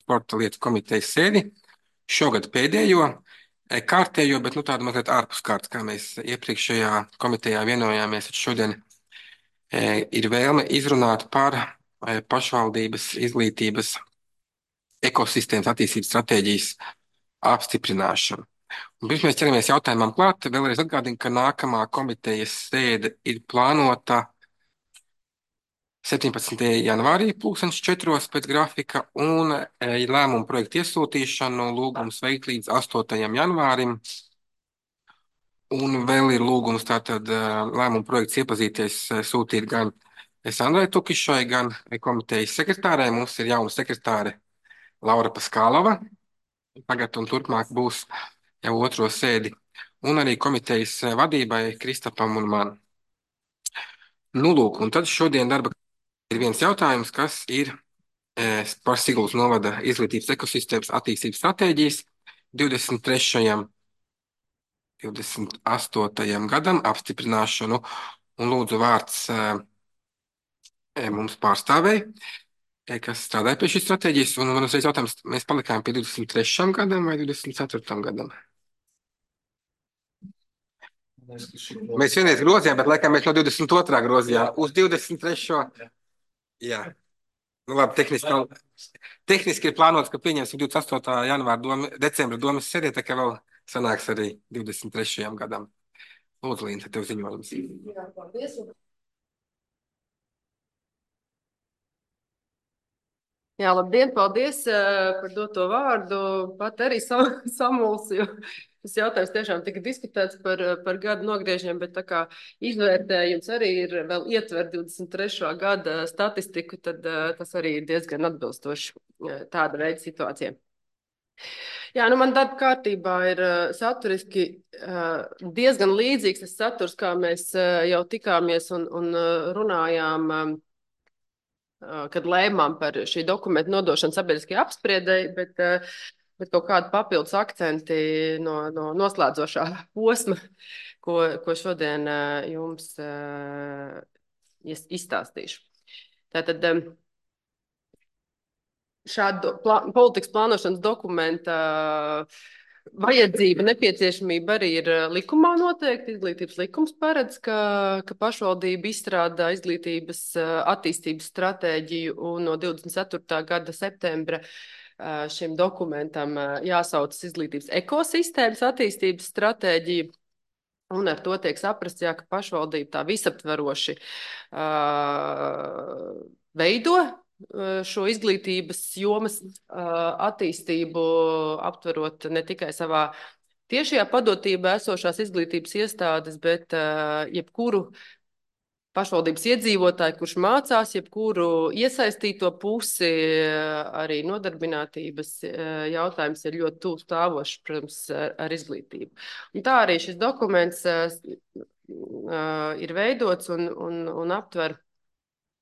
sporta lietu komitejas sēdi. Šogad pēdējo kārtējo, bet tādu mazliet ārpus kārtas, kā mēs iepriekšējā komitejā vienojāmies. Šodien ir vēlme izrunāt par pašvaldības izglītības ekosistēmas attīstības stratēģijas apstiprināšanu. Un pirms mēs ķeramies jautājumam klāt, vēlreiz atgādinu, ka nākamā komitejas sēde ir plānota 17. janvārī, 2004. pēc grafika, un lēmumu projektu iesūtīšanu lūgums veikt līdz 8. janvārim. Un vēl ir lūgums tātad lēmumu projekts iepazīties, sūtīt gan Sandrai Tukišai, gan komitejas sekretārei. Mums ir jauna sekretāre Laura Paskālova. Tagad un turpmāk būs jau otro sēdi. Un arī komitejas vadībai Kristapam un man. Lūk, un tad šodien darba ir viens jautājums, kas ir par Siguldas novada izglītības ekosistēmas attīstības stratēģijas 23. 28. gadam apstiprināšanu. Un lūdzu vārds mums pārstāvēji, kas strādāja pie šīs stratēģijas. Un man uzreiz jautājums, mēs palikām pie 23. gadam vai 24. gadam? Mēs vienreiz grozījām, bet laikam mēs no 22. grozījām uz 23. Jā. Labi, tehniski ir plānots, ka pieņemsim 28. decembra domas sēdē, tā kā vēl sanāks arī 23. gadam. Lūdzu, Līna, tev ziņojums. Jā, paldies. Jā, labdien, paldies par doto vārdu. Pat arī samulsi, jo tas jautājums tiešām tika diskutēts par gadu nogriežiem, bet tā kā izvērtējums arī ir vēl ietver 23. gada statistiku, tad tas arī ir diezgan atbilstoši tāda veida situācija. Jā, man darba kārtībā ir saturiski diezgan līdzīgs tas saturs, kā mēs jau tikāmies un runājām, kad lēmām par šī dokumenta nodošanu sabiedriskajai apspriedei, bet kaut kādi papildus akcenti no noslēdzošā posma, ko šodien jums izstāstīšu. Tātad šādu politikas plānošanas dokumenta vajadzība, nepieciešamība arī ir likumā noteikti. Izglītības likums paredz, ka pašvaldība izstrādā izglītības attīstības stratēģiju, un no 24. gada septembra šim dokumentam jāsaucas izglītības ekosistēmas attīstības stratēģija. Un ar to tiek saprasts, ka pašvaldība tā visaptveroši veido šo izglītības jomas attīstību, aptverot ne tikai savā tiešajā padotībā esošās izglītības iestādes, bet jebkuru pašvaldības iedzīvotāju, kurš mācās, jebkuru iesaistīto pusi, arī nodarbinātības jautājums ir ļoti tuvu stāvošs, protams, ar izglītību. Un tā arī šis dokuments ir veidots un aptver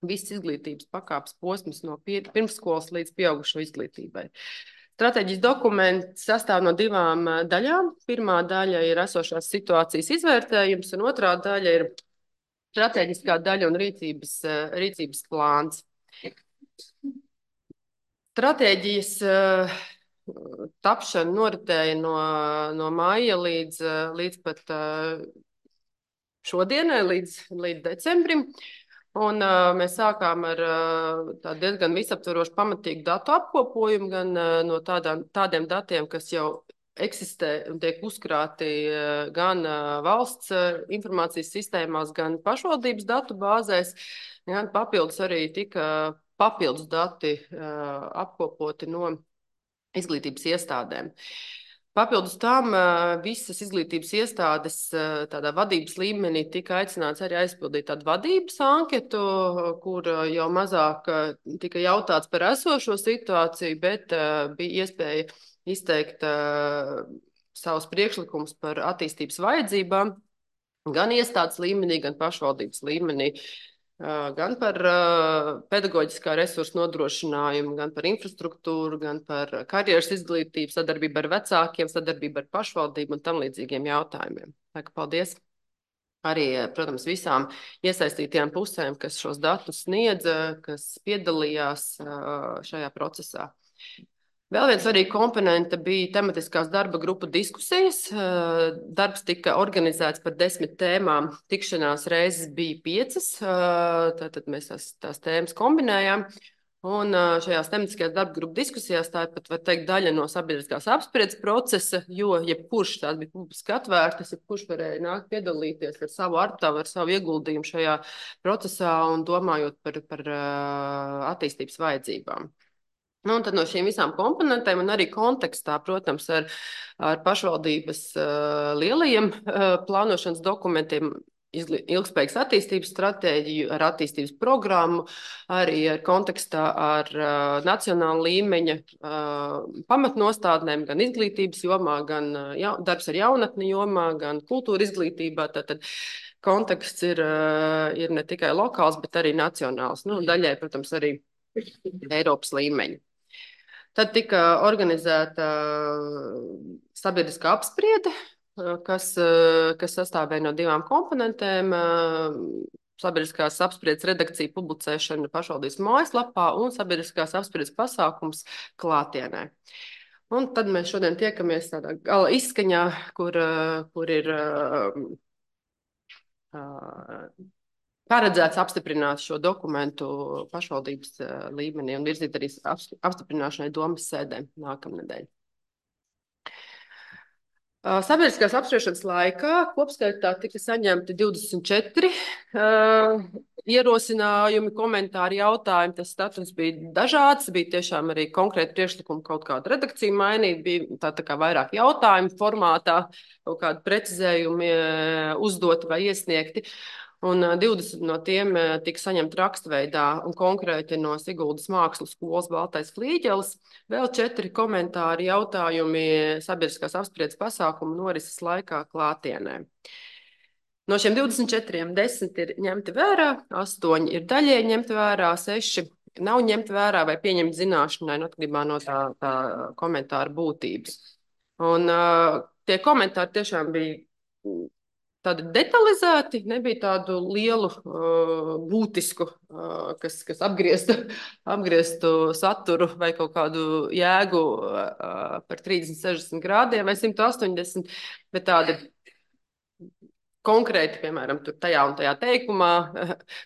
visas izglītības pakāpes posms no pirmsskolas līdz pieaugušo izglītībai. Stratēģijas dokuments sastāv no divām daļām. Pirmā daļa ir esošās situācijas izvērtējums, un otrā daļa ir stratēģiskā daļa un rīcības plāns. Stratēģijas tapšana noritēja no māja līdz pat šodienai, līdz decembrim. Un mēs sākām ar diezgan visaptvarošu pamatīgu datu apkopojumu, gan no tādiem datiem, kas jau eksistē un tiek uzkrāti gan valsts informācijas sistēmās, gan pašvaldības datu bāzēs, gan papildus arī tika papildus dati apkopoti no izglītības iestādēm. Papildus tam visas izglītības iestādes tādā vadības līmenī tika aicināts arī aizpildīt tādu vadības anketu, kur jau mazāk tika jautāts par esošo situāciju, bet bija iespēja izteikt savus priekšlikumus par attīstības vajadzībām, gan iestādes līmenī, gan pašvaldības līmenī. Gan par pedagoģiskā resursu nodrošinājumu, gan par infrastruktūru, gan par karjeras izglītību, sadarbību ar vecākiem, sadarbību ar pašvaldību un tam līdzīgiem jautājumiem. Tā kā paldies arī, protams, visām iesaistītajām pusēm, kas šos datus sniedza, kas piedalījās šajā procesā. Vēl viens svarīgs komponents bija tematiskās darba grupu diskusijas. Darbs tika organizēts par 10 tēmām. Tikšanās reizes bija 5. Tātad mēs tās tēmas kombinējām. Un šajās tematiskajās darba grupu diskusijās tā ir pat, var teikt, daļa no sabiedriskās apspriedes procesa, jo jebkurš tās bija publiski atvērtas, jebkurš varēja nākt piedalīties ar savu artavu, ar savu ieguldījumu šajā procesā un domājot par attīstības vajadzībām. Nu, un tad no šīm visām komponentēm un arī kontekstā, protams, ar pašvaldības lielajiem plānošanas dokumentiem, ilgspējīgas attīstības stratēģiju, ar attīstības programmu, arī ar kontekstā ar nacionālu līmeņa pamatnostādnēm, gan izglītības jomā, gan darbs ar jaunatni jomā, gan kultūra izglītībā. Tātad konteksts ir ne tikai lokāls, bet arī nacionāls. Nu, daļai, protams, arī Eiropas līmeņa. Tad tika organizēta sabiedriskā apspriede, kas sastāvēja no 2 komponentēm. Sabiedriskās apspriedes redakcija publicēšana pašvaldības mājaslapā un sabiedriskās apspriedes pasākums klātienē. Un tad mēs šodien tiekamies tādā gala izskaņā, kur ir paredzēts apstiprināt šo dokumentu pašvaldības līmenī un virzīt arī apstiprināšanai domas sēdē nākamnedēļ. Sabiedriskās apspriešanas laikā kopskaitā tika saņemti 24 ierosinājumi, komentāri, jautājumi. Tas status bija dažāds, bija tiešām arī konkrēti priekšlikumi kaut kādu redakciju mainīt, bija tā kā vairāk jautājumu formātā, kaut kādi precizējumi uzdoti vai iesniegti. Un 20 no tiem tika saņemti rakstveidā un konkrēti no Siguldas mākslas skolas Baltais Flīģelis. Vēl 4 komentāri, jautājumi sabiedriskās apspriedes pasākumu norises laikā klātienē. No šiem 24 10 ir ņemti vērā, 8 ir daļēji ņemti vērā, 6 nav ņemti vērā vai pieņemti zināšanai, atkarībā no tā komentāra būtības. Un tie komentāri tiešām bija tādi detalizēti, nebija tādu lielu, būtisku, kas apgrieztu saturu vai kaut kādu jēgu par 30, 60 grādiem vai 180, bet tādi konkrēti, piemēram, tur tajā un tajā teikumā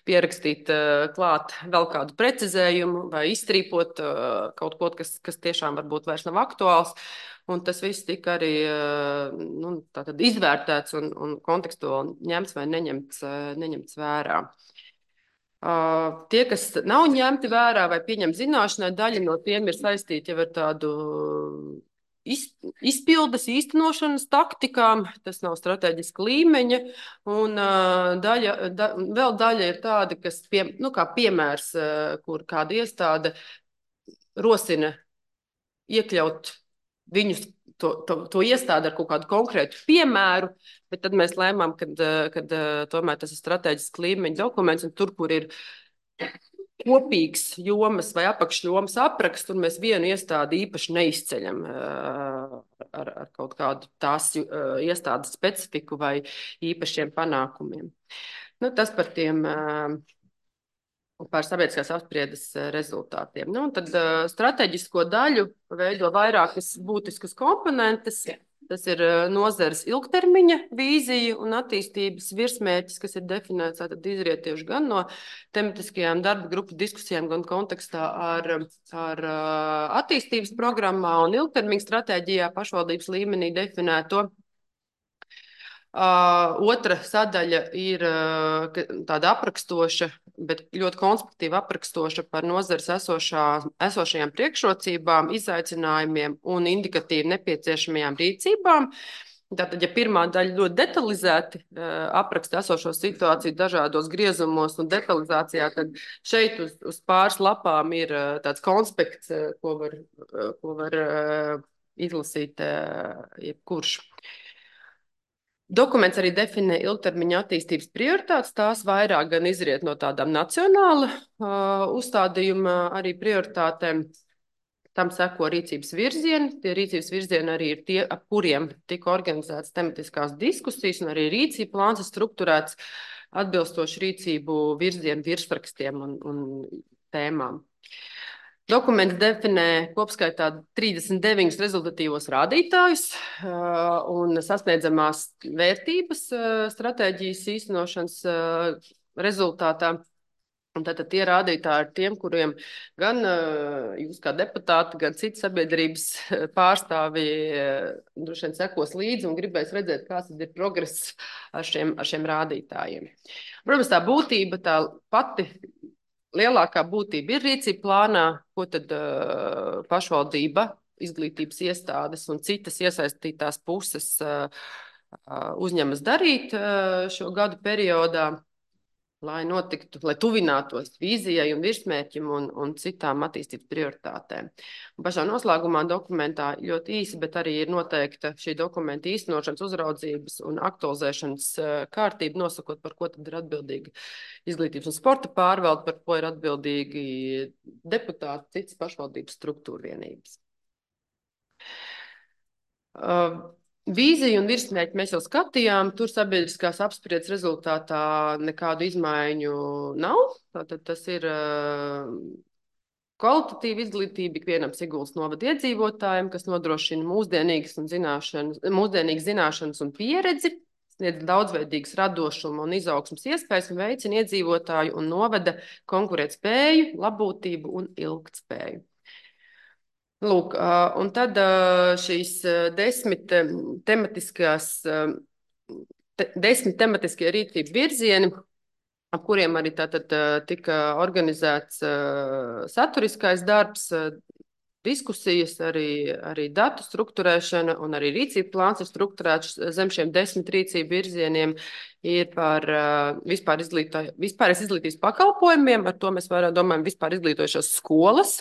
pierakstīt klāt vēl kādu precizējumu vai izstrīpot kaut ko, kas tiešām varbūt vairs nav aktuāls. Un tas viss tika arī izvērtēts un kontekstuāli ņemts vai neņemts vērā. Tie, kas nav ņemti vērā vai pieņemti zināšanai, daļa no tiem ir saistīti jau ar tādu izpildes, īstenošanas taktikām, tas nav strateģiska līmeņa, un vēl daļa ir tāda, kas, kā piemērs, kur kāda iestāde rosina iekļaut viņus, to iestādi ar kaut kādu konkrētu piemēru, bet tad mēs lēmām, kad tomēr tas ir strateģisks līmeņa dokuments, un tur, kur ir kopīgs jomas vai apakšjomas apraksts, tur mēs vienu iestādi īpaši neizceļam ar kaut kādu tās iestādes specifiku vai īpašiem panākumiem. Nu, tas par sabiedriskās apspriedes rezultātiem. Nu, tad strateģisko daļu veido vairākas būtiskas komponentes. Tas ir nozares ilgtermiņa vīzija un attīstības virsmērķis, kas ir definēts, tātad izriet tieši gan no tematiskajām darba grupu diskusijām, gan kontekstā ar attīstības programmā un ilgtermiņa stratēģijā pašvaldības līmenī definēto. Otra sadaļa ir tāda aprakstoša, bet ļoti konstruktīva aprakstoša par nozares esošajām priekšrocībām, izaicinājumiem un indikatīvi nepieciešamajām rīcībām. Tātad, ja pirmā daļa ļoti detalizēti apraksta esošo situāciju dažādos griezumos un detalizācijā, tad šeit uz pāris lapām ir tāds konspekts, ko var izlasīt jebkurš. Dokuments arī definē ilgtermiņa attīstības prioritātes, tās vairāk gan izriet no tādām nacionāla uzstādījuma arī prioritātēm. Tam seko rīcības virzieni. Tie rīcības virzieni arī ir tie, ap kuriem tika organizētas tematiskās diskusijas, un arī rīcība plāns ir strukturēts atbilstoši rīcību virzienu virsrakstiem un tēmām. Dokuments definē kopskaitā 39 rezultatīvos rādītājus un sasniedzamās vērtības stratēģijas īstenošanas rezultātā. Un tātad tie rādītāji ir tiem, kuriem gan jūs kā deputāti, gan citi sabiedrības pārstāvji droši vien sekos līdzi un gribēs redzēt, kāds ir progress ar šiem rādītājiem. Protams, tā būtība, tā pati lielākā būtība ir rīcība plānā, ko tad pašvaldība, izglītības iestādes un citas iesaistītās puses uzņemas darīt šo gadu periodā, lai notiktu, lai tuvinātos vīzijai un virsmērķim un citām attīstības prioritātēm. Un pašā noslēgumā dokumentā ļoti īsi, bet arī ir noteikta šī dokumenta īstenošanas, uzraudzības un aktualizēšanas kārtība, nosakot, par ko tad ir atbildīga izglītības un sporta pārvalde, par ko ir atbildīgi deputāti, citas pašvaldības struktūra vienības. Vīziju un virsmērķi mēs jau skatījām. Tur sabiedriskās apspriedes rezultātā nekādu izmaiņu nav. Tātad tas ir kvalitatīva izglītība ikvienam Siguldas novada iedzīvotājiem, kas nodrošina mūsdienīgas zināšanas un pieredzi, sniedz daudzveidīgas radošuma un izaugsmas iespējas un veicina iedzīvotāju un novada konkurētspēju, labbūtību un ilgtspēju. Lūk, un tad šīs 10 tematiskie rīcību virzieni, ap kuriem arī tātad tika organizēts saturiskais darbs, diskusijas, arī datu strukturēšana un arī rīcību plāns ir strukturēts zem šiem 10 rīcību virzieniem, ir par vispār izglītības pakalpojumiem, ar to mēs vairāk domājam vispār izglītojušās skolas,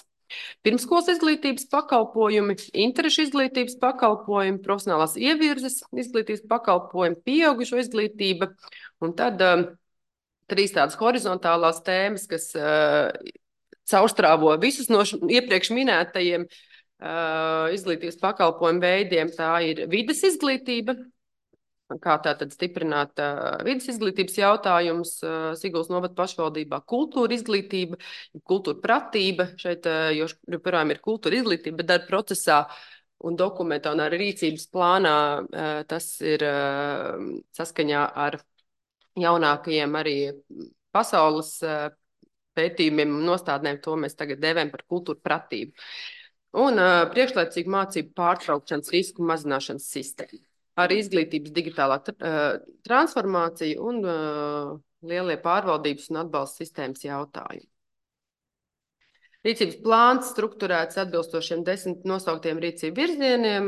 pirmskolas izglītības pakalpojumi, interešu izglītības pakalpojumi, profesionālās ievirzes izglītības pakalpojumi, pieaugušo izglītība, un tad 3 tādas horizontālās tēmas, kas caurstrāvo visus no iepriekš minētajiem izglītības pakalpojumu veidiem. Tā ir vides izglītība, kā tātad stiprināt vidas izglītības jautājumus Siguldas novada pašvaldībā, kultūra izglītība, kultūra pratība, šeit joprojām ir kultūra izglītība, bet darba procesā un dokumentā un arī rīcības plānā tas ir saskaņā ar jaunākajiem arī pasaules pētījumiem un nostādnēm, to mēs tagad dēvējam par kultūra pratību. Un priekšlaicīgu mācību pārtraukšanas risku mazināšanas sistēmu. Arī izglītības digitālā transformācija un lielie pārvaldības un atbalsta sistēmas jautājumi. Rīcības plāns strukturēts atbilstošiem 10 nosauktiem rīcību virzieniem.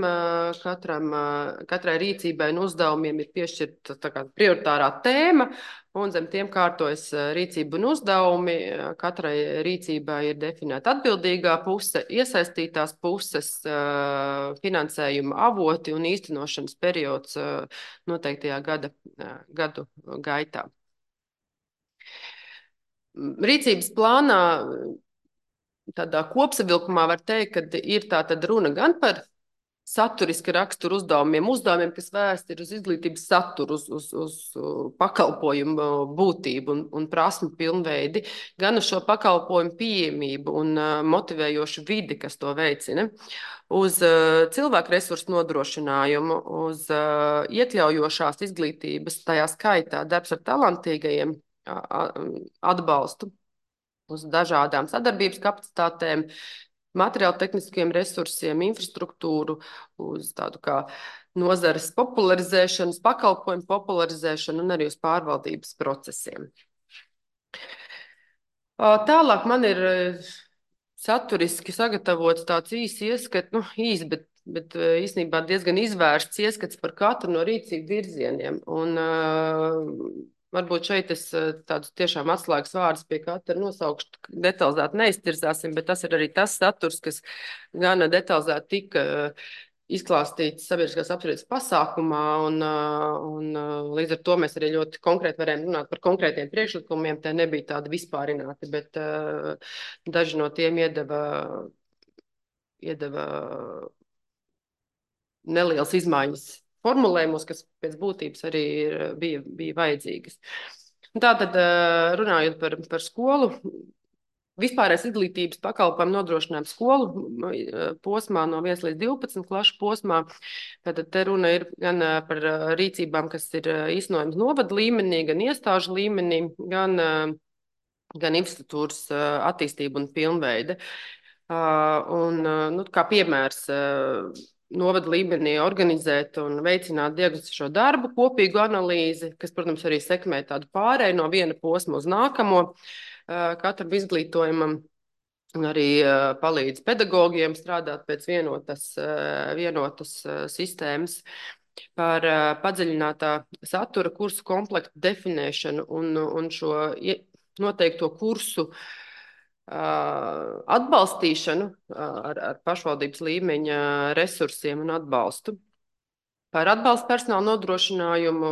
Katrai rīcībai un uzdevumiem ir piešķirta prioritārā tēma, un zem tiem kārtojas rīcība un uzdevumi. Katrai rīcībai ir definēta atbildīgā puse, iesaistītās puses, finansējuma avoti un īstenošanas periods noteiktajā gadu gaitā. Rīcības plānā tādā kopsavilkumā var teikt, ka ir tā tad runa gan par saturiska rakstura uzdevumiem, kas vērsti ir uz izglītības saturu, uz pakalpojumu būtību un prasmu pilnveidi, gan uz šo pakalpojumu pieejamību un motivējošu vidi, kas to veicina, uz cilvēku resursu nodrošinājumu, uz iekļaujošās izglītības, tajā skaitā darbs ar talantīgajiem atbalstu, uz dažādām sadarbības kapacitātēm, materiālu tehniskiem resursiem, infrastruktūru, uz tādu kā nozares popularizēšanas, pakalpojumu popularizēšanu un arī uz pārvaldības procesiem. Tālāk man ir saturiski sagatavots tāds īsi ieskats, bet īstenībā diezgan izvērsts ieskats par katru no rīcību virzieniem. Un varbūt šeit es tādus tiešām atslēgas vārdus pie katra nosaukšu, detalizēti neiztirzāsim, bet tas ir arī tas saturs, kas gana detalizēti tika izklāstīts sabiedriskās apspriedes pasākumā, un līdz ar to mēs arī ļoti konkrēti varējām runāt par konkrētiem priekšlikumiem. Tie nebija tādi vispārināti, bet daži no tiem iedeva nelielas izmaiņas formulējumos, kas pēc būtības arī bija vajadzīgas. Tātad, runājot par skolu Vispārējais izglītības pakalpojumu nodrošinājumu skolu posmā no 1 līdz 12 klašu posmā. Tātad te runa ir gan par rīcībām, kas ir īstenojams novada līmenī, gan iestāžu līmenī, gan infrastruktūras attīstība un pilnveide. Nu, kā piemērs, novada līmenī organizēt un veicināt diagnostisko darbu, kopīgu analīzi, kas, protams, arī sekmē tādu pārēju no viena posma uz nākamo katram izglītojumam. Un arī palīdz pedagogiem strādāt pēc vienotas sistēmas par padziļinātā satura kursu komplektu definēšanu un šo noteikto kursu atbalstīšanu ar pašvaldības līmeņa resursiem un atbalstu. Par atbalstu personāla nodrošinājumu,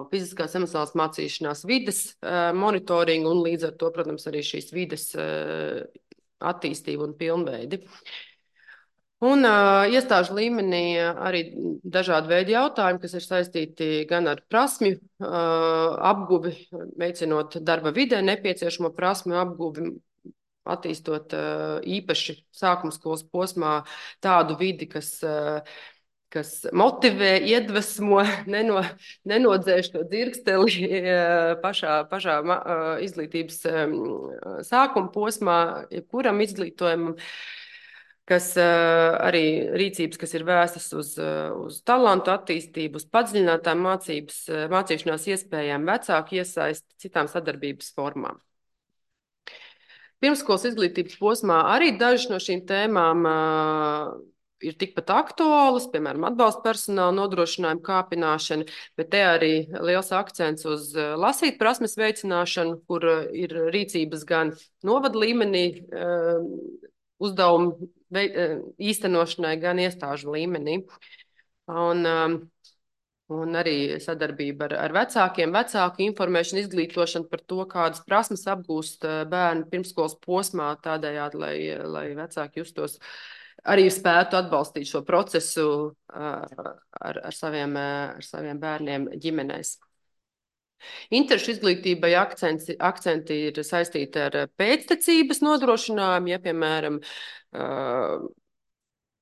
fiziskās emocionālās mācīšanās vides monitoringu un līdz ar to, protams, arī šīs vides attīstību un pilnveidi. Un iestāžu līmenī arī dažādi veidi jautājumi, kas ir saistīti gan ar prasmju apguvi, veicinot darba vidē nepieciešamo prasmju apguvi, attīstot īpaši sākuma skolas posmā tādu vidi, kas motivē, iedvesmo, nenodzēš to dzirksteli pašā izglītības sākuma posmā, jebkuram izglītojumam, kas arī rīcības, kas ir vēstas uz talantu attīstību, uz padziļinātām mācīšanās iespējām, vecāku iesaisti, citām sadarbības formām. Pirmskolas izglītības posmā arī dažas no šīm tēmām ir tikpat aktuālas, piemēram, atbalsta personāla nodrošinājuma kāpināšana, bet te arī liels akcents uz lasīt prasmes veicināšanu, kur ir rīcības gan novada līmenī uzdevumu īstenošanai, gan iestāžu līmenī. Un arī sadarbība ar vecākiem, vecāku informēšanu, izglītošanu par to, kādas prasmes apgūst bērni pirmskolas posmā, tādējādi, lai vecāki justos arī spētu atbalstīt šo procesu ar saviem bērniem ģimenēs. Interešu izglītībai akcenti ir saistīti ar pēctecības nodrošinājumu, ja, piemēram,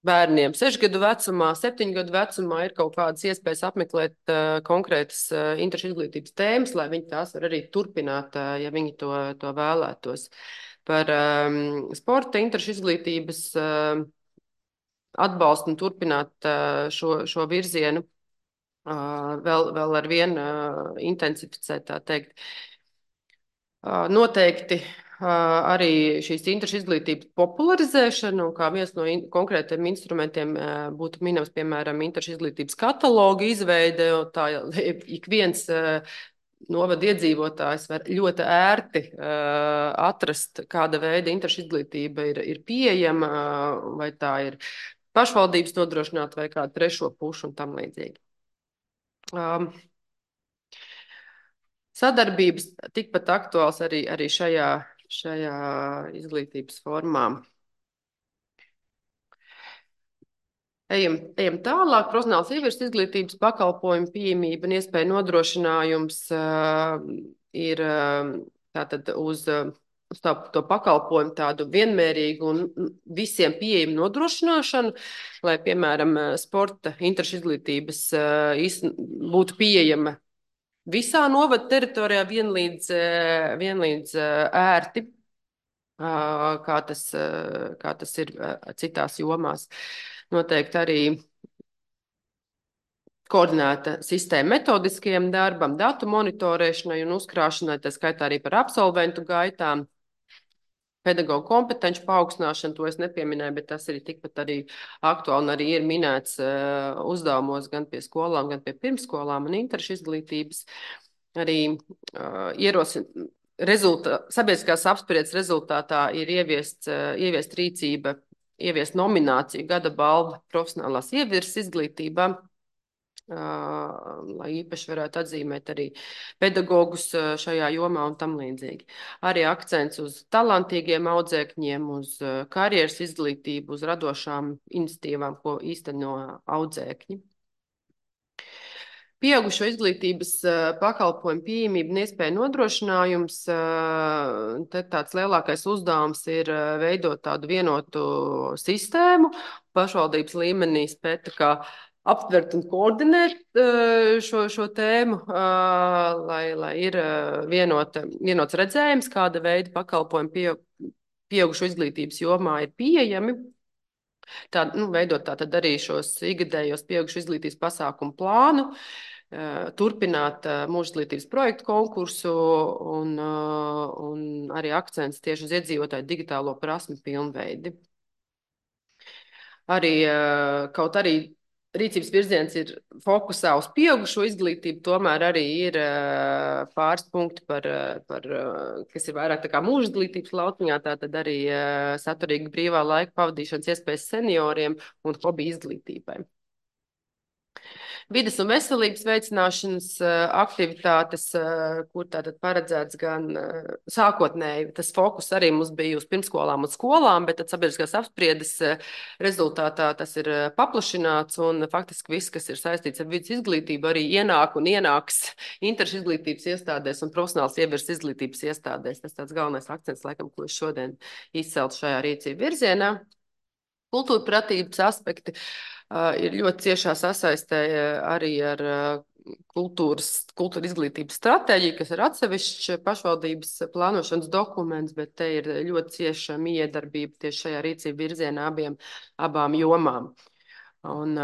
bērniem 6 gadu vecumā, 7 gadu vecumā ir kaut kādas iespējas apmeklēt konkrētas interešu izglītības tēmas, lai viņi tās var arī turpināt, ja viņi to vēlētos. Par sporta interešu izglītības atbalstu un turpināt šo virzienu vēl ar vienu intensificēt, tā teikt. Noteikti arī šīs interešu izglītības popularizēšana, un kā viens no konkrētiem instrumentiem būtu minams, piemēram, interešu izglītības kataloga izveide, tā ik viens novada iedzīvotājs var ļoti ērti atrast, kāda veida interešu izglītība ir pieejama, vai tā ir pašvaldības nodrošināta vai kādu trešo pušu un tam līdzīgi. Sadarbības tikpat aktuāls arī šajā izglītības formā. Ejam tālāk. Profesionāls ievirs izglītības pakalpojumu pieejamība un iespēja nodrošinājums ir tātad uz to pakalpojumu tādu vienmērīgu un visiem pieejamu nodrošināšanu, lai, piemēram, sporta interešu izglītības būtu pieejama visā novada teritorijā vienlīdz ērti, kā tas ir citās jomās. Noteikti arī koordinēta sistēma metodiskajam darbam, datu monitorēšanai un uzkrāšanai, tā skaitā arī par absolventu gaitām. Pedagoģu kompetenci paaugstināšanu, to es nepieminēju, bet tas ir tikpat arī aktuāli un arī ir minēts uzdevumos gan pie skolām, gan pie pirmskolām un interešu izglītības. Arī sabiedriskās apspriedes rezultātā ir ieviest rīcība, ieviest nomināciju gada balva profesionālās ievirs izglītībā, lai īpaši varētu atzīmēt arī pedagogus šajā jomā un tam līdzīgi. Arī akcents uz talantīgiem audzēkņiem, uz karjeras izglītību, uz radošām iniciatīvām, ko īsteno audzēkņi. Pieaugušo izglītības pakalpojumu pieejamību un iespēju nodrošinājums. Te tāds lielākais uzdevums ir veidot tādu vienotu sistēmu. Pašvaldības līmenī spēt tā kā aptvert un koordinēt šo tēmu, lai ir vienots redzējums, kāda veida pakalpojumi pieaugušo izglītības jomā ir pieejami. Veidot tātad arī šos ikgadējos pieaugušu izglītības pasākumu plānu, turpināt mūža izglītības projektu konkursu un arī akcents tieši uz iedzīvotāju digitālo prasmu pilnveidi. Kaut arī rīcības virziens ir fokusā uz pieaugušo izglītību, tomēr arī ir pāris punkti, kas ir vairāk tā kā mūža izglītības lauciņā, tātad arī saturīga brīvā laika pavadīšanas iespējas senioriem un hobiju izglītībai. Vides un veselības veicināšanas aktivitātes, kur tātad paredzēts gan sākotnēji, tas fokus arī mums bija uz pirmskolām un skolām, bet tad sabiedriskās apspriedes rezultātā tas ir paplašināts un faktiski viss, kas ir saistīts ar vidas izglītību, arī ienāk un ienāks interešu izglītības iestādēs un profesionāls ievirs izglītības iestādēs. Tas tāds galvenais akcents, laikam, ko es šodien izceltu šajā rīcību virzienā. Kultūra pratības aspekti ir ļoti ciešā sasaistē arī ar kultūra izglītības stratēģiju, kas ir atsevišķs pašvaldības plānošanas dokuments, bet te ir ļoti cieša miedarbība tieši šajā rīcību virzienā abām jomām. Un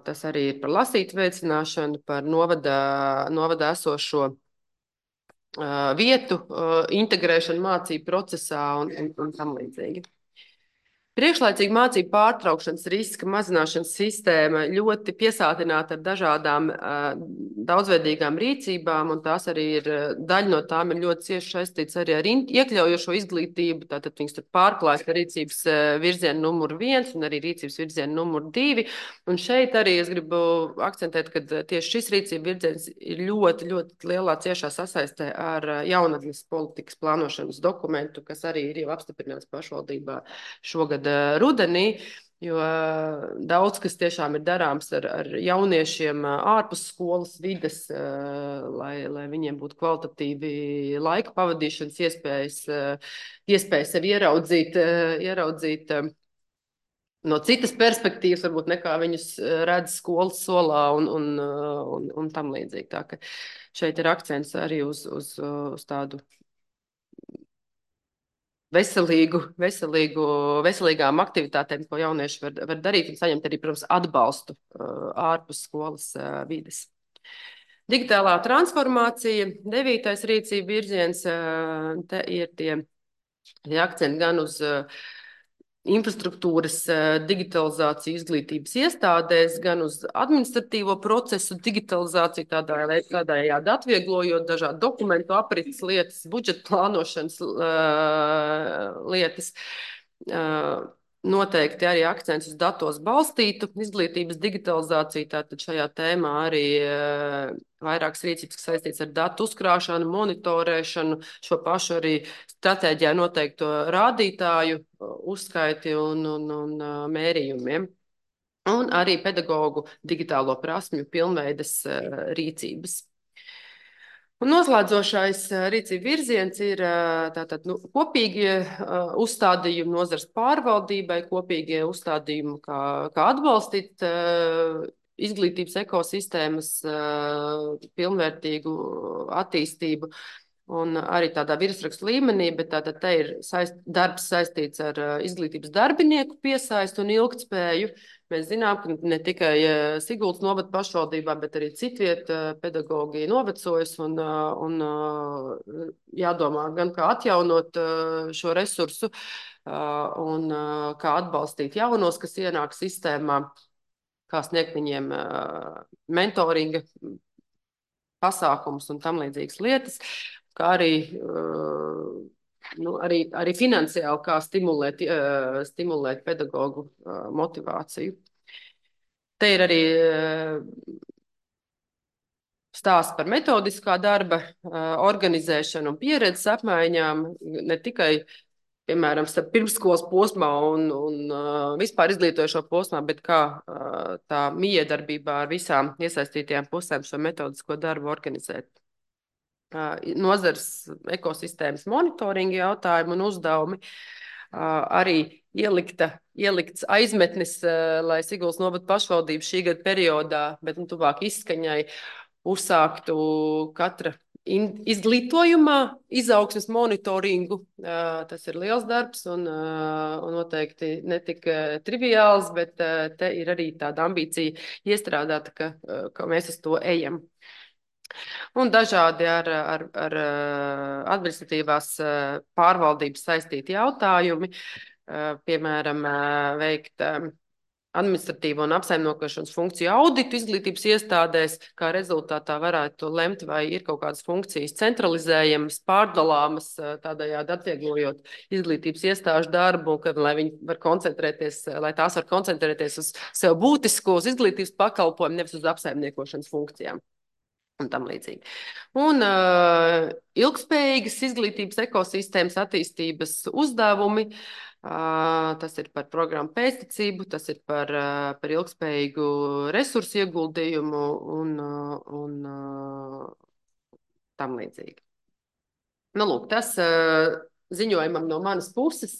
tas arī ir par lasīt veicināšanu, par novadā esošo vietu integrēšanu mācību procesā un tam līdzīgi. Priekšlaicīga mācību pārtraukšanas riska mazināšanas sistēma ļoti piesātināta ar dažādām daudzveidīgām rīcībām, un tās arī ir daļa no tām ir ļoti cieši saistīts arī ar iekļaujošo izglītību. Tātad viņas tur pārklājas ar rīcības virzienu numur 1 un arī rīcības virzienu numur 2. Un šeit arī es gribu akcentēt, ka tieši šis rīcība virziens ir ļoti, ļoti lielā ciešā sasaistē ar jaunatnes politikas plānošanas dokumentu, kas arī ir jau apstiprināts pašvaldībā šogad rudenī, jo daudz kas tiešām ir darāms ar jauniešiem ārpus skolas vides, lai viņiem būtu kvalitatīvi laika pavadīšanas iespējas sevi ieraudzīt no citas perspektīvas, varbūt nekā viņus redz skolas solā un tam līdzīgi. Tā ka šeit ir akcents arī uz tādu veselīgām aktivitātēm, ko jaunieši var darīt un saņemt arī, protams, atbalstu ārpus skolas vides. Digitālā transformācija, 9. rīcība virziens, te ir tie akcenti gan uz infrastruktūras digitalizāciju izglītības iestādēs, gan uz administratīvo procesu digitalizāciju, tādējādi atvieglojot dažādu dokumentu aprits lietas, budžeta plānošanas lietas. Noteikti arī akcents uz datos balstītu izglītības digitalizāciju. Tātad šajā tēmā arī vairākas rīcības, kas saistīts ar datu uzkrāšanu, monitorēšanu, šo pašu arī stratēģijā noteikto rādītāju uzskaiti un mērījumiem. Un arī pedagoģu digitālo prasmju pilnveides rīcības. Un noslēdzošais rīcība virziens ir kopīgie uzstādījumi nozars pārvaldībai, kopīgie uzstādījumi, kā atbalstīt izglītības ekosistēmas pilnvērtīgu attīstību. Un arī tādā virsrakstu līmenī, bet tātad te ir darbs saistīts ar izglītības darbinieku piesaistu un ilgtspēju. Mēs zinām, ka ne tikai Siguldas novada pašvaldībā, bet arī citviet pedagoģija novecojas un jādomā gan kā atjaunot šo resursu un kā atbalstīt jaunos, kas ienāk sistēmā, kā sniegt viņiem mentoringa pasākumus un tam līdzīgas lietas, kā arī finansiāli, kā stimulēt pedagoģu motivāciju. Te ir arī stāsts par metodiskā darba organizēšanu un pieredzes apmaiņām, ne tikai piemēram, starp pirmsskolas posmā un vispār izglītojošo posmā, bet kā tā miedarbībā ar visām iesaistītajām pusēm šo metodisko darbu organizēt. Nozars ekosistēmas monitoringa jautājumi un uzdevumi, arī ielikts aizmetnis, lai Siguldas novada pašvaldība šī gada periodā, bet tuvāk izskaņai, uzsāktu katra izglītojumā izaugsmes monitoringu. Tas ir liels darbs un noteikti ne tik triviāls, bet te ir arī tāda ambīcija iestrādāta, ka mēs uz to ejam. Un dažādi ar administratīvās pārvaldības saistīti jautājumi, piemēram, veikt administratīvo un apsaimniekošanas funkciju auditu izglītības iestādēs, kā rezultātā varētu lemt, vai ir kaut kādas funkcijas centralizējamas, pārdalāmas, tādējādi atvieglojot izglītības iestāžu darbu, lai viņi var koncentrēties, lai tās var koncentrēties uz sev būtisko, uz izglītības pakalpojumu, nevis uz apsaimniekošanas funkcijām. Un tam līdzīgi. Un ilgspējīgas izglītības ekosistēmas attīstības uzdevumi. Tas ir par programmu pēctecību, tas ir par ilgspējīgu resursu ieguldījumu un tam līdzīgi. Nu, lūk, tas ziņojumam no manas puses.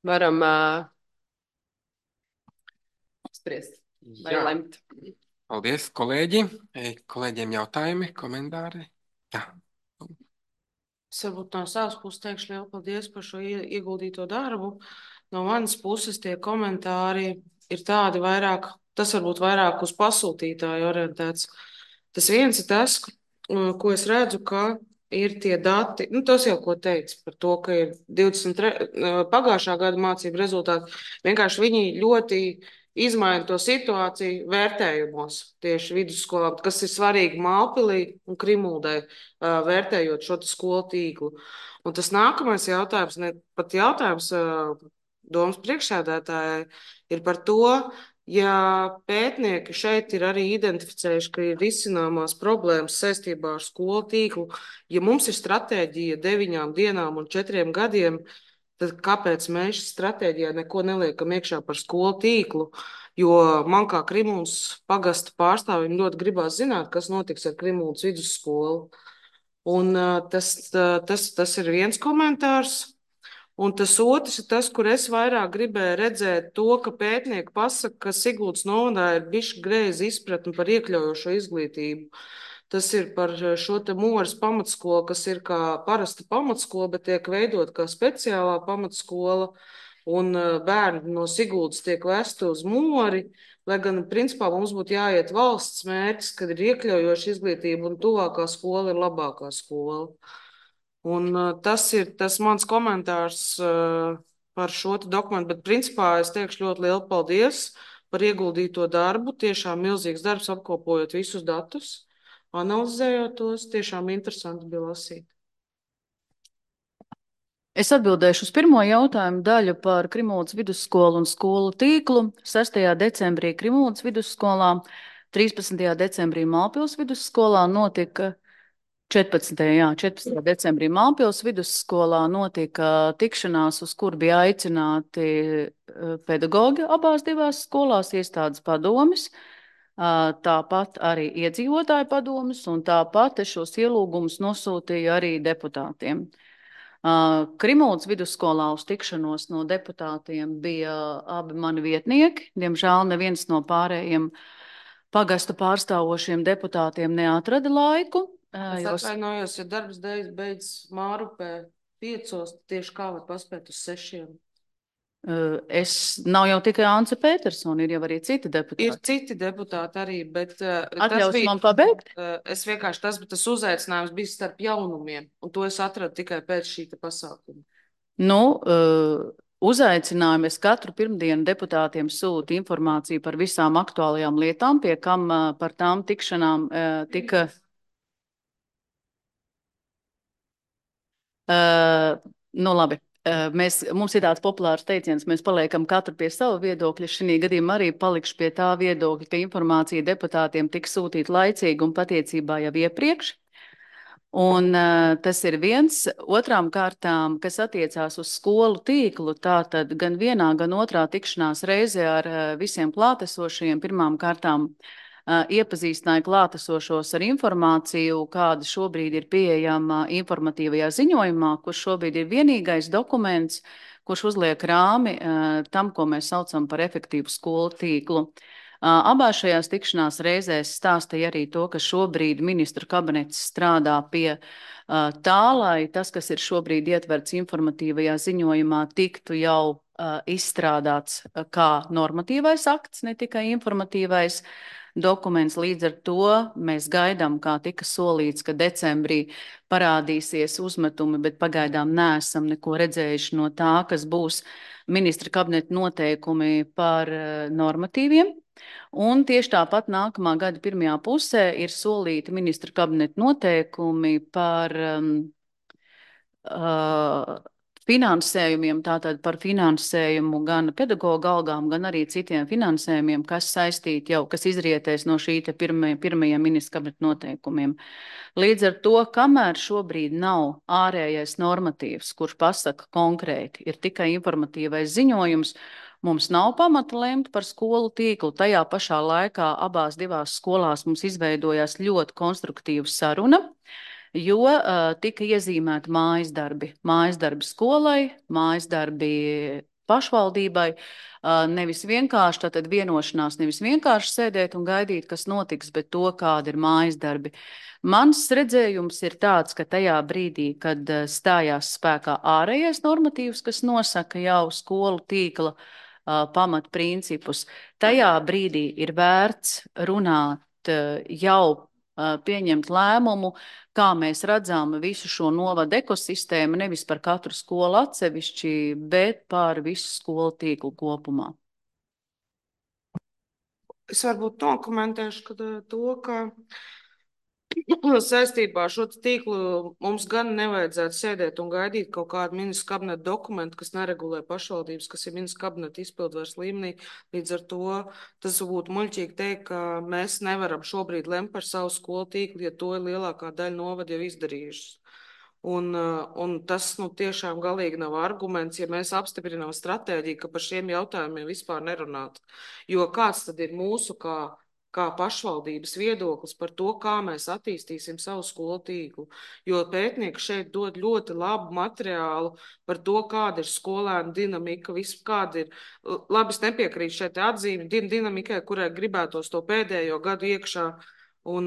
Varam spriest vai lemt. Paldies, kolēģi. Kolēģiem jautājumi, komentāri? Jā. Es varbūt no savas puses teikšu lielu paldies par šo ieguldīto darbu. No manas puses tie komentāri ir tādi vairāk, tas varbūt vairāk uz pasūtītāju orientēts. Tas viens ir tas, ko es redzu, ka ir tie dati, tas jau ko teica par to, ka ir 23, pagājušā gada mācību rezultāti. Vienkārši viņi ļoti izmaina to situāciju vērtējumos tieši vidusskolā, kas ir svarīgi Mālpilī un Krimuldai, vērtējot šo skolu tīklu. Un tas nākamais jautājums, ne pat jautājums domas priekšsēdētājai, ir par to, ja pētnieki šeit ir arī identificējuši, ka ir risināmās problēmas saistībā ar skolu tīklu, ja mums ir stratēģija 9 dienām un 4 gadiem, tad kāpēc mēs stratēģijā neko neliekam iekšā par skolu tīklu? Jo man kā Krimuldas pagasta pārstāvim ļoti gribās zināt, kas notiks ar Krimuldas vidusskolu. Un tas ir viens komentārs. Un tas otrs ir tas, kur es vairāk gribēju redzēt to, ka pētnieki pasaka, ka Siguldas novadā ir bišķi greizi izpratni par iekļaujošo izglītību. Tas ir par šo te Moras pamatskolu, kas ir kā parasta pamatskola, bet tiek veidot kā speciālā pamatskola, un bērni no Siguldas tiek vesti uz Mori, lai gan, principā, mums būtu jāiet valsts mērķis, kad ir iekļaujoša izglītība, un tuvākā skola ir labākā skola. Un tas ir tas mans komentārs par šo dokumentu, bet, principā, es teikšu ļoti lielu paldies par ieguldīto darbu, tiešām milzīgs darbs apkopojot visus datus. Analizējot tos, tiešām interesanti bija lasīt. Es atbildēšu uz pirmo jautājumu daļu par Krimuldas vidusskolu un skolu tīklu. 6. decembrī Krimuldas vidusskolā, 13. decembrī Mālpils vidusskolā notika 14. decembrī Mālpils vidusskolā notika tikšanās, uz kur bija aicināti pedagoģi abās divās skolās, iestādes padomis. Tāpat arī iedzīvotāju padomus, un tāpat šos ielūgumus nosūtīju arī deputātiem. Krimuldas vidusskolā uz tikšanos no deputātiem bija abi mani vietnieki. Diemžēl neviens no pārējiem pagasta pārstāvošiem deputātiem neatrada laiku. Es atvainojos, ja darbs beidz Mārupē 5, tieši kā var paspēt uz 6. Nav jau tikai Ance Petersona, ir jau arī citi deputāti. Ir citi deputāti arī, bet atļaus man pabeigt? Es vienkārši tas uzaicinājums bija starp jaunumiem, un to es atradu tikai pēc šī pasākuma. Uzaicinājumu es katru pirmdienu deputātiem sūtu informāciju par visām aktuālajām lietām, pie kam par tām tikšanām tika... Labi. Mums ir tāds populārs teiciens, mēs paliekam katru pie sava viedokļa. Šī gadījumā arī palikšu pie tā viedokļa, ka informācija deputātiem tika sūtīta laicīgi un patiecībā jau iepriekš. Un tas ir viens. Otrām kārtām, kas attiecās uz skolu tīklu, tātad gan vienā, gan otrā tikšanās reizē ar visiem klātesošajiem pirmām kārtām iepazīstināja klātesošos ar informāciju, kāda šobrīd ir pieejama informatīvajā ziņojumā, kurš šobrīd ir vienīgais dokuments, kurš uzliek rāmi tam, ko mēs saucam par efektīvu skolu tīklu. Abās šajās tikšanās reizēs stāstīja arī to, ka šobrīd ministru kabinets strādā pie tā, lai tas, kas ir šobrīd ietverts informatīvajā ziņojumā, tiktu jau izstrādāts kā normatīvais akts, ne tikai informatīvais dokuments. Līdz ar to mēs gaidām, kā tika solīts, ka decembrī parādīsies uzmetumi, bet pagaidām neesam neko redzējuši no tā, kas būs ministra kabineta noteikumi par normatīviem. Un tieši tāpat nākamā gada pirmajā pusē ir solīti ministra kabineta noteikumi par finansējumiem, tātad par finansējumu gan pedagoģa algām, gan arī citiem finansējumiem, kas saistīti jau, kas izrietēs no šī pirmajiem ministra kabineta noteikumiem. Līdz ar to, kamēr šobrīd nav ārējais normatīvs, kurš pasaka konkrēti, ir tikai informatīvais ziņojums, mums nav pamata lemt par skolu tīklu. Tajā pašā laikā abās divās skolās mums izveidojās ļoti konstruktīva saruna, jo tika iezīmēti mājas darbi skolai, mājas darbi pašvaldībai. Nevis vienkārši tātad vienošanās, nevis vienkārši sēdēt un gaidīt, kas notiks, bet to, kāda ir mājas darbi. Mans redzējums ir tāds, ka tajā brīdī, kad stājās spēkā ārējais normatīvs, kas nosaka jau skolu tīkla pamatprincipus, tajā brīdī ir vērts runāt jau pieņemt lēmumu, kā mēs redzam visu šo novadu ekosistēmu, nevis par katru skolu atsevišķi, bet par visu skolu tīklu kopumā. Es varbūt nokomentēšu to, ka saistībā ar šo tīklu mums gan nevajadzētu sēdēt un gaidīt kaut kādu ministru kabineta dokumentu, kas neregulē pašvaldības, kas ir ministru kabineta izpildvaras līmenī. Līdz ar to tas būtu muļķīgi teikt, ka mēs nevaram šobrīd lemt par savu skolu tīklu, ja to ir lielākā daļa novada jau izdarījušas. Un tas tiešām galīgi nav arguments, ja mēs apstiprinām stratēģiju, ka par šiem jautājumiem vispār nerunāt. Jo kāds tad ir mūsu kā pašvaldības viedoklis par to, kā mēs attīstīsim savu skolu tīklu. Jo pētnieki šeit dod ļoti labu materiālu par to, kāda ir skolēnu dinamika, kāda ir, labi, es nepiekrītu šeit atzīmi dinamikai, kurai gribētos to pēdējo gadu iekšā un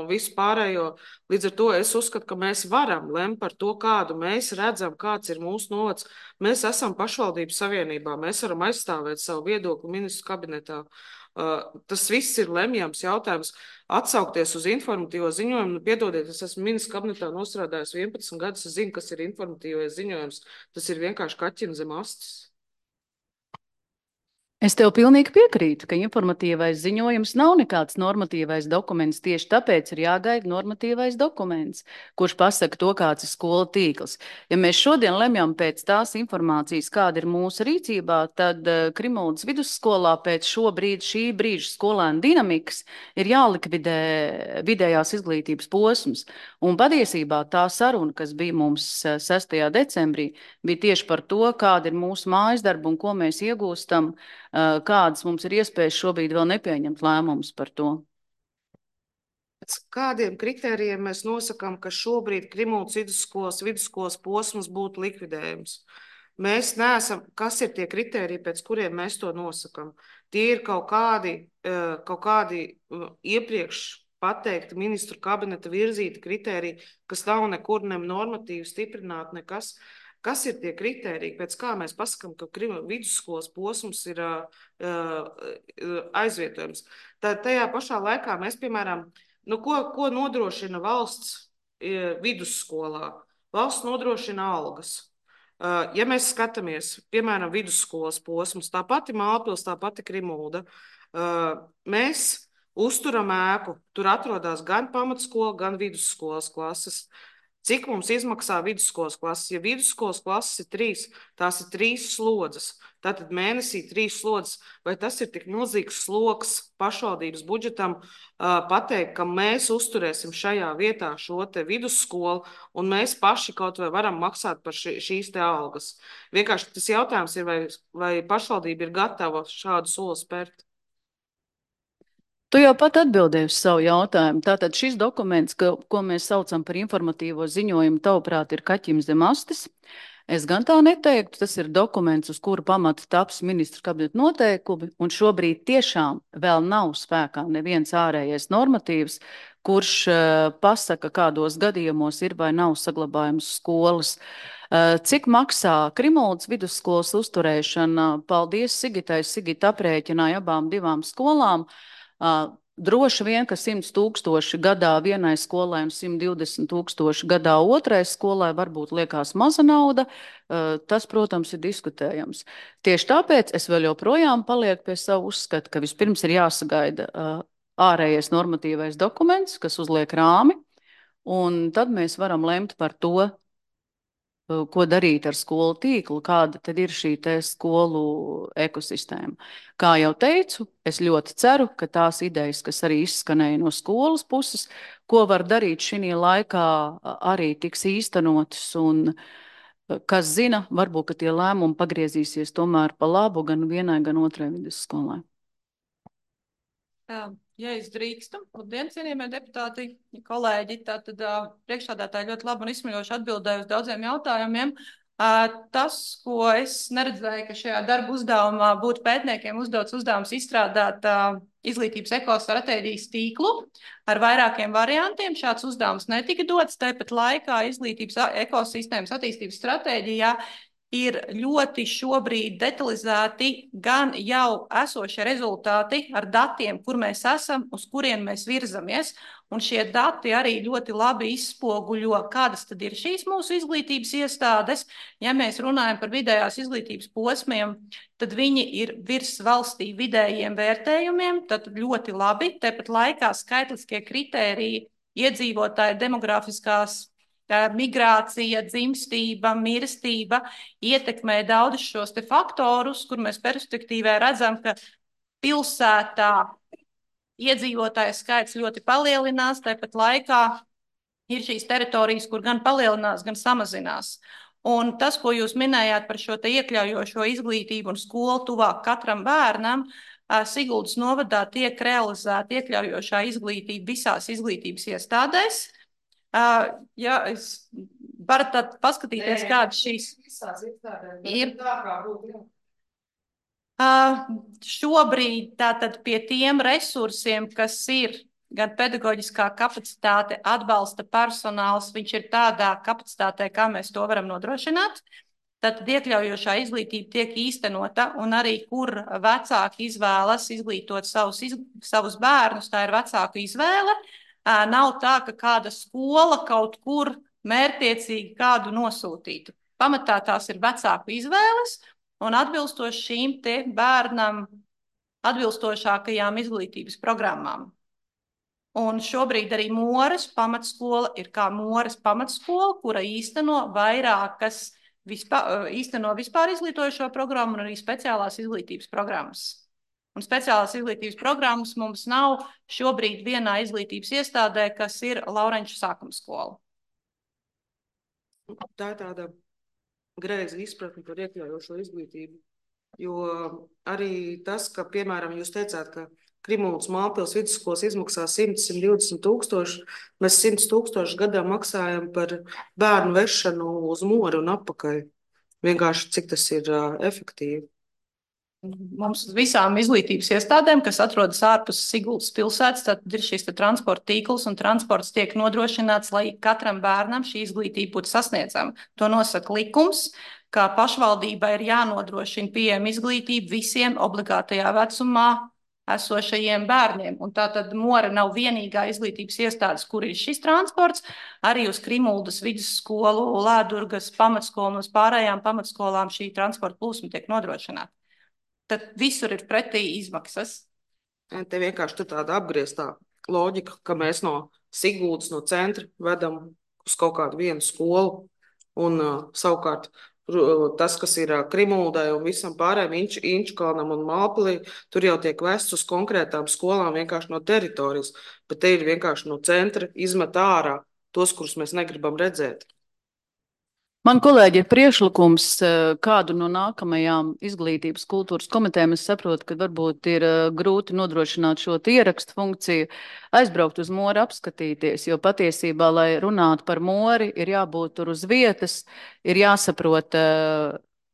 visu pārējo. Līdz ar to es uzskatu, ka mēs varam lemt par to, kādu mēs redzam, kāds ir mūsu novads. Mēs esam pašvaldības savienībā, mēs varam aizstāvēt savu viedokli ministru kabinetā. Tas viss ir lemjams jautājums. Atsaukties uz informatīvo ziņojumu, piedodiet, es esmu ministru kabinetā nostrādājis 11 gadus, es zinu, kas ir informatīvais ziņojums. Tas ir vienkārši kaķina zem astes. Es tev pilnīgi piekrītu, ka informatīvais ziņojums nav nekāds normatīvais dokuments. Tieši tāpēc ir jāgaida normatīvais dokuments, kurš pasaka to, kāds ir skolu tīkls. Ja mēs šodien lemjam pēc tās informācijas, kāda ir mūsu rīcībā, tad Krimuldas vidusskolā pēc šī brīža skolēnu dinamikas ir jālikvidē vidējās izglītības posms. Un patiesībā tā saruna, kas bija mums 6. decembrī, bija tieši par to, kāda ir mūsu mājas darba un ko mēs iegūstam, kādas mums ir iespējas šobrīd vēl nepieņemt lēmumus par to. Kādiem kritērijiem mēs nosakām, ka šobrīd Krimuldas vidusskolas posms būtu likvidējums? Mēs neesam, kas ir tie kritēriji, pēc kuriem mēs to nosakām? Tie ir kaut kādi iepriekš pateikti ministru kabineta virzīti kritēriji, kas nav nekur normatīvi stiprināti, nekas. Kas ir tie kritēriji, pēc kā mēs pasakām, ka vidusskolas posms ir aizvietojams? Tad tajā pašā laikā mēs, piemēram, ko nodrošina valsts vidusskolā? Valsts nodrošina algas. Ja mēs skatāmies, piemēram, vidusskolas posms, tā pati Mālpils, tā pati Krimulda, mēs uzturam ēku, tur atrodas gan pamatskola, gan vidusskolas klases. Cik mums izmaksā vidusskolas klases? Ja vidusskolas klases ir 3, tās ir 3 slodzes. tātad mēnesī 3 slodzes, vai tas ir tik milzīgs sloks pašvaldības budžetam pateikt, ka mēs uzturēsim šajā vietā šo te vidusskolu un mēs paši kaut vai varam maksāt par šīs te algas. Vienkārši tas jautājums ir, vai pašvaldība ir gatava šādu soli spērt. Tu jau pat atbildēji uz savu jautājumu. Tātad šis dokuments, ko mēs saucam par informatīvo ziņojumu, tavuprāt, ir kaķim zem astes. Es gan tā neteiktu, tas ir dokuments, uz kura pamata taps ministru kabineta noteikumi, un šobrīd tiešām vēl nav spēkā neviens ārējais normatīvs, kurš pasaka, kādos gadījumos ir vai nav saglabājums skolas. Cik maksā Krimuldas vidusskolas uzturēšana? Paldies Sigitai. Sigita aprēķināja abām divām skolām. Droši vien, ka 100 000 gadā vienai skolai un 120 000 gadā otrai skolai varbūt liekas maza nauda. Tas, protams, ir diskutējams. Tieši tāpēc es vēl joprojām palieku pie savu uzskatu, ka vispirms ir jāsagaida ārējais normatīvais dokuments, kas uzliek rāmi, un tad mēs varam lemt par to, ko darīt ar skolu tīklu, kāda tad ir šī te skolu ekosistēma. Kā jau teicu, es ļoti ceru, ka tās idejas, kas arī izskanēja no skolas puses, ko var darīt šī laikā, arī tiks īstenotas, un kas zina, varbūt, ka tie lēmumi pagriezīsies tomēr pa labu gan vienai, gan otrai vidusskolai. Ja es drīkstu, labdien, cienījamie deputāti, kolēģi, tātad priekšsādātāji ļoti labi un izsmeļoši atbildēja uz daudziem jautājumiem. Tas, ko es neredzēju, ka šajā darba uzdevumā būtu pētniekiem uzdots uzdevums izstrādāt izglītības ekostratēģijas tīklu ar vairākiem variantiem. Šāds uzdevums netika dots, tāpat laikā izglītības ekosistēmas attīstības stratēģijā ir ļoti šobrīd detalizēti gan jau esošie rezultāti ar datiem, kur mēs esam, uz kurien mēs virzamies. Un šie dati arī ļoti labi izspoguļo, kādas tad ir šīs mūsu izglītības iestādes. Ja mēs runājam par vidējās izglītības posmiem, tad viņi ir virs valstī vidējiem vērtējumiem, tad ļoti labi. Tāpat laikā skaitliskie kritēriji, iedzīvotāju demografiskās migrācija, dzimstība, mirstība ietekmē daudzus šos te faktorus, kur mēs perspektīvē redzam, ka pilsētā iedzīvotāju skaits ļoti palielinās, tāpat laikā ir šīs teritorijas, kur gan palielinās, gan samazinās. Un tas, ko jūs minējāt par šo te iekļaujošo izglītību un skolu tuvāk katram bērnam, Siguldas novadā tiek realizēta iekļaujošā izglītība visās izglītības iestādēs. Ja es varu tad paskatīties, kādas šīs ir. Šobrīd tātad pie tiem resursiem, kas ir gan pedagoģiskā kapacitāte, atbalsta personāls, viņš ir tādā kapacitātē, kā mēs to varam nodrošināt. Tātad iekļaujošā izglītība tiek īstenota, un arī, kur vecāki izvēlas izglītot savus bērnus, tā ir vecāku izvēle. Nav tā, ka kāda skola kaut kur mērķtiecīgi kādu nosūtītu. Pamatā tās ir vecāku izvēles un atbilstoši šīm te bērnam atbilstošākajām izglītības programmām. Un šobrīd arī Moras pamatskola ir kā Moras pamatskola, kura īsteno vairākas vispār izglītojošo programmu un arī speciālās izglītības programmas. Un speciālās izglītības programmas mums nav šobrīd vienā izglītības iestādē, kas ir Laurenču sākuma skola. Tā ir tāda greiza izpratne par iekļaujošo izglītību. Jo arī tas, ka, piemēram, jūs teicāt, ka Krimuldas Mālpils vidusskolas izmaksā 100–120 000, mēs 100 000 gadā maksājam par bērnu vešanu uz Moru un atpakaļ. Vienkārši cik tas ir efektīvi. Mums visām izglītības iestādēm, kas atrodas ārpus Siguldas pilsētas, tad ir šīs transporta tīkls un transports tiek nodrošināts, lai katram bērnam šī izglītība būtu sasniedzama. To nosaka likums, ka pašvaldībai ir jānodrošina pieejama izglītība visiem obligātajā vecumā esošajiem bērniem. Un tātad Mora nav vienīgā izglītības iestādes, kur ir šis transports. Arī uz Krimuldas vidusskolu, Lēdurgas pamatskolu un uz pārējām pamatskolām šī transporta plūsma tiek nodrošināta. Tad visur ir pretī izmaksas. Te vienkārši tāda apgrieztā loģika, ka mēs no Siguldas, no centra vedam uz kaut kādu vienu skolu un savukārt Tas, kas ir Krimūdai un visam pārējiem Inčukalnam un Mālpilī, tur jau tiek vests uz konkrētām skolām vienkārši no teritorijas, bet te ir vienkārši no centra izmet ārā tos, kurus mēs negribam redzēt. Man kolēģi ir priekšlikums, kādu no nākamajām izglītības kultūras komitejām. Es saprotu, ka varbūt ir grūti nodrošināt šo ierakstu funkciju, aizbraukt uz Mori apskatīties, jo patiesībā, lai runātu par Mori, ir jābūt tur uz vietas, ir jāsaprot,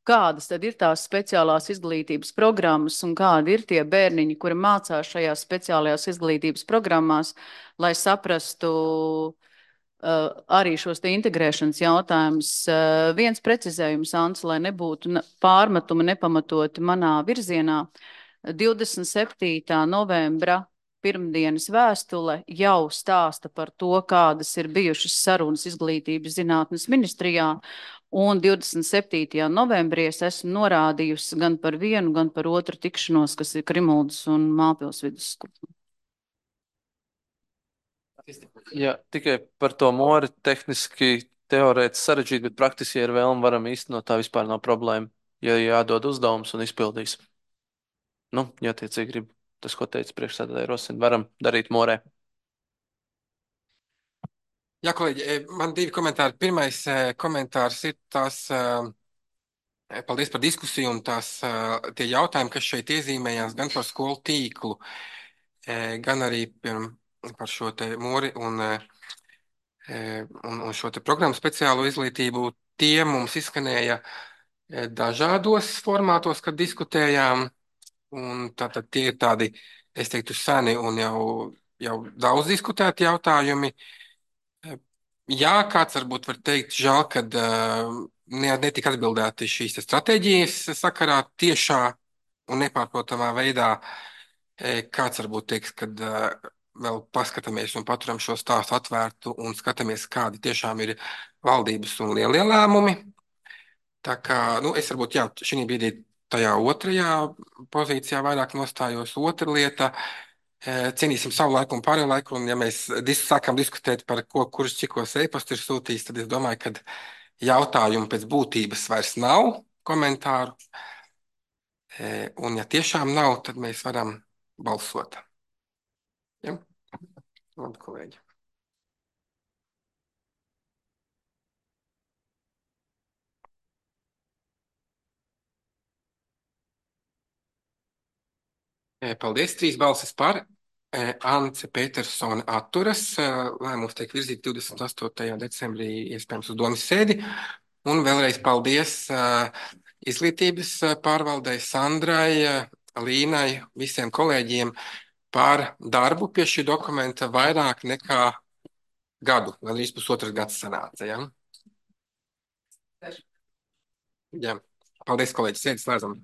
kādas tad ir tās speciālās izglītības programmas un kādi ir tie bērniņi, kuri mācās šajās speciālajās izglītības programmās, lai saprastu arī šos te integrēšanas jautājumus. Viens precizējums, Ants, lai nebūtu pārmetumi nepamatoti manā virzienā. 27. novembra pirmdienas vēstule jau stāsta par to, kādas ir bijušas sarunas izglītības zinātnes ministrijā, un 27. novembrī es esmu norādījusi gan par vienu, gan par otru tikšanos, kas ir Krimuldas un Mālpils vidusskola. Jā, tikai par to Mori tehniski, teorētiski sarežģīti, bet praktiski, ja ir vēlme, varam īstenot, tā vispār nav problēma. Ja jādod uzdevums un izpildīs. Nu, ja attiecīgi grib tas, ko teica priekšsēdētāja Rosina, varam darīt Morē. Jā, kolēģi, man divi komentāri. Pirmais komentārs ir tas, paldies par diskusiju un tie jautājumi, kas šeit iezīmējās gan par skolu tīklu, gan arī par šo te Mori un šo te programmu speciālo izglītību. Tie mums izskanēja dažādos formātos, kad diskutējām, un tātad tie ir tādi, es teiktu, seni un jau daudz diskutēti jautājumi. Jā, kāds varbūt var teikt, žēl, kad netika atbildēti šīs stratēģijas sakarā tiešā un nepārprotamā veidā. Kāds varbūt teiks, kad vēl paskatāmies un paturam šo stāstu atvērtu un skatāmies, kādi tiešām ir valdības un lielie lēmumi. Tā kā, nu, es varbūt, jā, šī brīdī tajā otrajā pozīcijā vairāk nostājos. Otra lieta, cienīsim savu laiku un pārējo laiku, un ja mēs sākam diskutēt par ko, kurš cikos e-pastu ir sūtījis, tad es domāju, ka jautājumu pēc būtības vairs nav komentāru. Un ja tiešām nav, tad mēs varam balsot. Ja? Labi, kolēģi. Paldies, 3 balsis par. Ance Petersone atturas. Lēmums tiek virzīts 28. decembrī, iespējams, uz domas sēdi. Un vēlreiz paldies izglītības pārvaldei Sandrai, Līnai, visiem kolēģiem par darbu pie šī dokumenta vairāk nekā gadu, gandrīz pusotras gads sanāca. Ja? Jā. Paldies, kolēģi, sēdi slēdzam.